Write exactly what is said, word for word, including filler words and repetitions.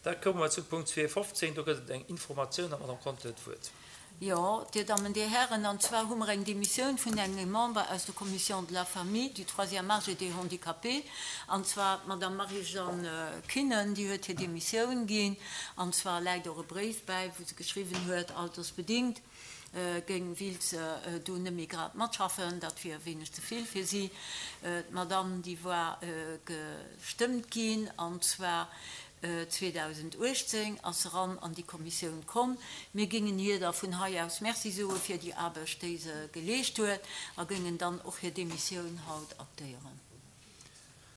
Da komme mer zu Punkt zwee fofzéng. Do gëtt et eng Informatioun an d'Madame Conter huet d'Wuert. Jo, Dir Dammen, Dir Hären, an zwar hu mer eng Demissioun vun engem Member aus der Commission de la Famille, du Troisième âge et des Handicapés, an zwar d'Madame Marie-Jeanne Kinnen, déi huet hir Demissioun ginn. An zwar läit och e Bréif bäi, wou se geschriwwen huet, altersbedingt géing, wéilt se do net méi grad matschaffen, dat wier e wéineg ze vill fir si. D'Madame, déi war gestëmmt ginn, an zwar zweedausenduechtzéng ass se eran an déi Kommissioun komm. Mir géingen hir da vun hei aus Merci soe fir déi Aarbecht, déi se geleescht huet, a géingen dann och hir Demissioun haut aktéieren.